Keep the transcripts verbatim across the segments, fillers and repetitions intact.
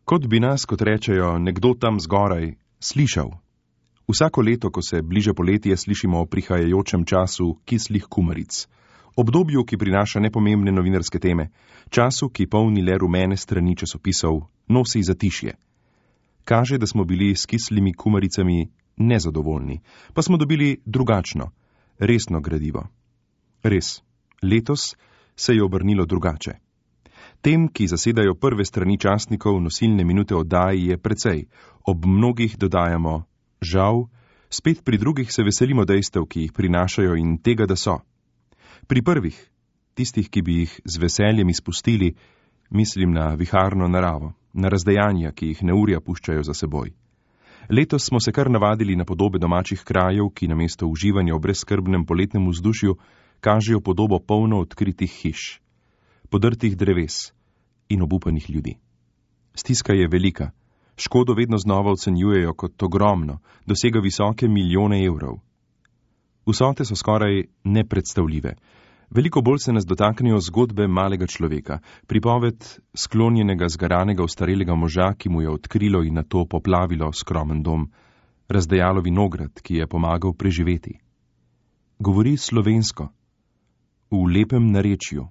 Kot bi nas, kot rečejo, nekdo tam zgoraj slišal. Vsako leto, ko se bliže poletje, slišimo o prihajajočem času kislih kumaric. Obdobju, ki prinaša nepomembne novinarske teme, času, ki polni le rumene strani časopisov, nosi zatišje. Kaže, da smo bili s kislimi kumaricami nezadovoljni, pa smo dobili drugačno, resno gradivo. Res, letos se je obrnilo drugače. Tem, ki zasedajo prve strani časnikov, nosilne minute oddaji je precej, ob mnogih dodajamo žal, spet pri drugih se veselimo dejstev, ki jih prinašajo in tega, da so. Pri prvih, tistih, ki bi jih z veseljem izpustili, mislim na viharno naravo, na razdejanja, ki jih neurja puščajo za seboj. Letos smo se kar navadili na podobe domačih krajev, ki namesto uživanja v brezskrbnem poletnem vzdušju kažejo podobo polno odkritih hiš, podrtih dreves in obupanih ljudi. Stiska je velika, škodo vedno znova ocenjujejo kot ogromno, dosega visoke milijone evrov. Vsote so skoraj nepredstavljive. Veliko bolj se nas dotaknejo zgodbe malega človeka, pripoved sklonjenega, zgaranega, ostarelega moža, ki mu je odkrilo in nato poplavilo skromen dom, razdejalo vinograd, ki je pomagal preživeti. Govori slovensko, v lepem narečju.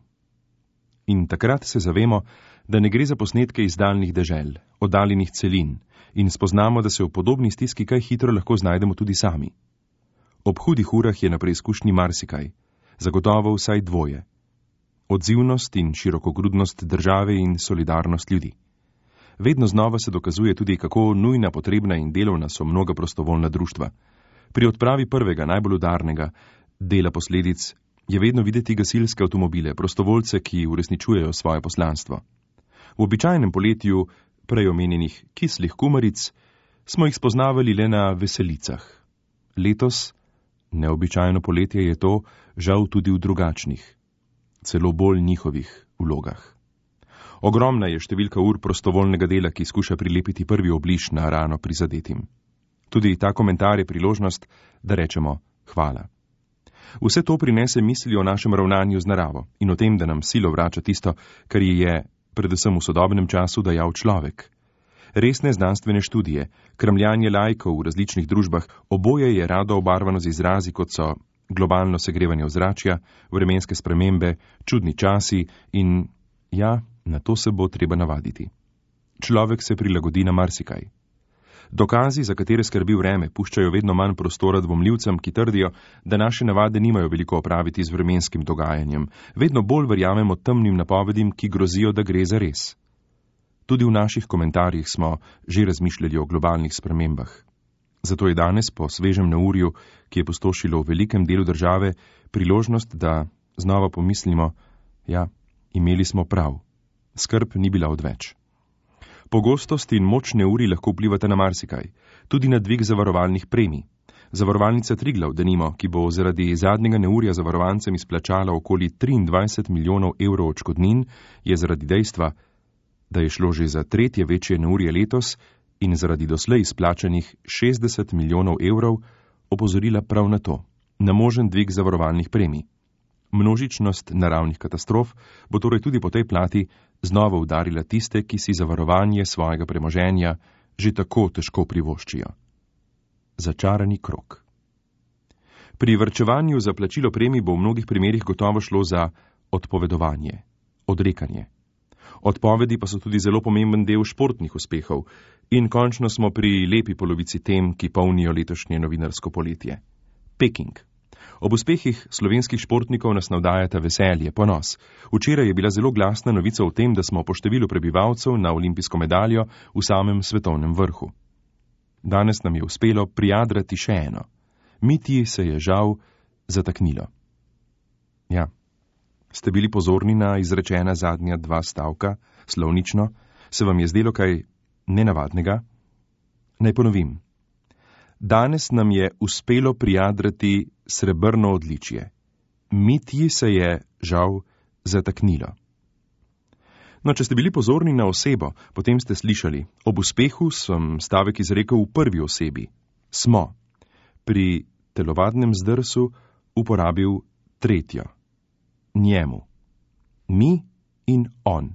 In takrat se zavemo, da ne gre za posnetke iz daljnih dežel, oddaljenih celin, in spoznamo, da se v podobni stiski kaj hitro lahko znajdemo tudi sami. Ob hudih urah je na preizkušnji marsikaj, zagotovo vsaj dvoje. Odzivnost in širokogrudnost države in solidarnost ljudi. Vedno znova se dokazuje tudi, kako nujna, potrebna in delovna so mnoga prostovoljna društva. Pri odpravi prvega, najbolj udarnega dela posledic je vedno videti gasilske avtomobile, prostovoljce, ki uresničujejo svoje poslanstvo. V običajnem poletju prej omenjenih kislih kumaric smo jih spoznavali le na veselicah. Letos, neobičajno poletje je to, žal tudi v drugačnih, celo bolj njihovih vlogah. Ogromna je številka ur prostovoljnega dela, ki skuša prilepiti prvi obliž na rano prizadetim. Tudi ta komentar je priložnost, da rečemo hvala. Vse to prinese misli o našem ravnanju z naravo in o tem, da nam silo vrača tisto, kar ji je, predvsem v sodobnem času, dajal človek. Resne znanstvene študije, kramljanje laikov v različnih družbah, oboje je rado obarvano z izrazi, kot so globalno segrevanje ozračja, vremenske spremembe, čudni časi in ja, na to se bo treba navaditi. Človek se prilagodi na marsikaj. Dokazi, za katere skrbi vreme, puščajo vedno manj prostora dvomljivcem, ki trdijo, da naše navade nimajo veliko opraviti z vremenskim dogajanjem. Vedno bolj verjamemo temnim napovedim, ki grozijo, da gre za res. Tudi v naših komentarjih smo že razmišljali o globalnih spremembah. Zato je danes, po svežem neurju, ki je pustošilo v velikem delu države, priložnost, da znova pomislimo, ja, imeli smo prav. Skrb ni bila odveč. Pogostost in moč neurij lahko vplivata na marsikaj, tudi na dvig zavarovalnih premij. Zavarovalnica Triglav, denimo, ki bo zaradi zadnjega neurja zavarovancem izplačala okoli triindvajset milijonov evrov odškodnin, je zaradi dejstva, da je šlo že za tretje večje neurje letos in zaradi doslej izplačanih šestdeset milijonov evrov, opozorila prav na to, na možen dvig zavarovalnih premij. Množičnost naravnih katastrof bo torej tudi po tej plati znova udarila tiste, ki si zavarovanje svojega premoženja že tako težko privoščijo. Začarani krog. Pri varčevanju za plačilo premij bo v mnogih primerih gotovo šlo za odpovedovanje, odrekanje. Odpovedi pa so tudi zelo pomemben del športnih uspehov in končno smo pri lepi polovici tem, ki polnijo letošnje novinarsko poletje. Peking. Ob uspehih slovenskih športnikov nas navdajata veselje, ponos. Včeraj je bila zelo glasna novica o tem, da smo po številu prebivalcev na olimpijsko medaljo v samem svetovnem vrhu. Danes nam je uspelo prijadrati še eno. Mitji se je žal zataknilo. Ja, ste bili pozorni na izrečena zadnja dva stavka, slovnično? Se vam je zdelo kaj nenavadnega? Naj ponovim. Danes nam je uspelo prijadrati srebrno odličje. Mitji se je, žal, zataknilo. No, če ste bili pozorni na osebo, potem ste slišali, ob uspehu sem stavek izrekel v prvi osebi. Smo. Pri telovadnem zdrsu uporabil tretjo. Njemu. Mi in on.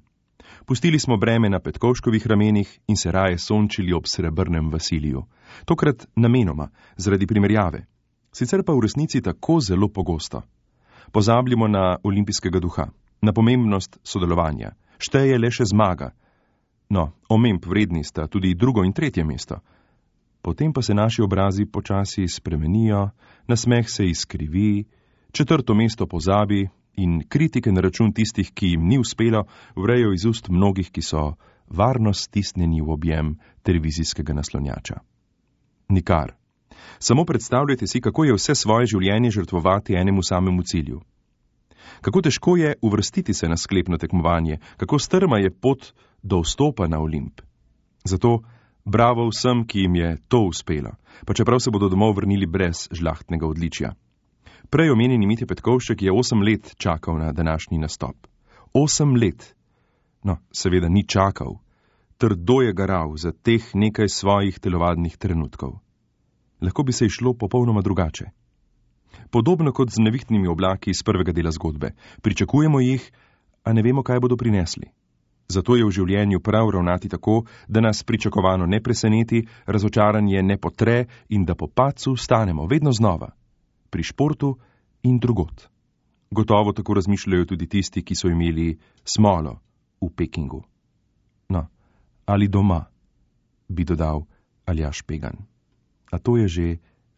Pustili smo breme na Petkovškovih ramenih in se raje sončili ob srebrnem Vasiliju. Tokrat namenoma, zaradi primerjave. Sicer pa v resnici tako zelo pogosto. Pozabljamo na olimpijskega duha, na pomembnost sodelovanja. Šteje le še zmaga. No, omemb vredni sta tudi drugo in tretje mesto. Potem pa se naši obrazi počasi spremenijo, nasmeh se izkrivi, četrto mesto pozabi in kritike na račun tistih, ki jim ni uspelo, vrejo iz ust mnogih, ki so varno stisnjeni v objem televizijskega naslonjača. Nikar. Samo predstavljajte si, kako je vse svoje življenje žrtvovati enemu samemu cilju. Kako težko je uvrstiti se na sklepno tekmovanje, kako strma je pot do vstopa na Olimp. Zato bravo vsem, ki jim je to uspelo, pa čeprav se bodo domov vrnili brez žlahtnega odličja. Prej omenjeni Mitja Petkovšek je osem let čakal na današnji nastop. Osem let. No, seveda ni čakal. Trdo je garal za teh nekaj svojih telovadnih trenutkov. Lahko bi se išlo popolnoma drugače. Podobno kot z nevihtnimi oblaki iz prvega dela zgodbe. Pričakujemo jih, a ne vemo, kaj bodo prinesli. Zato je v življenju prav ravnati tako, da nas pričakovano ne preseneti, razočaranje ne potre in da po padcu vstanemo vedno znova. Pri športu in drugot. Gotovo tako razmišljajo tudi tisti, ki so imeli smolo v Pekingu. No, ali doma, bi dodal Aljaž Pegan. A to je že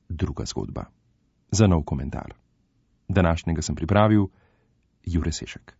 druga zgodba. Za nov komentar. Današnjega sem pripravil Jure Sešek.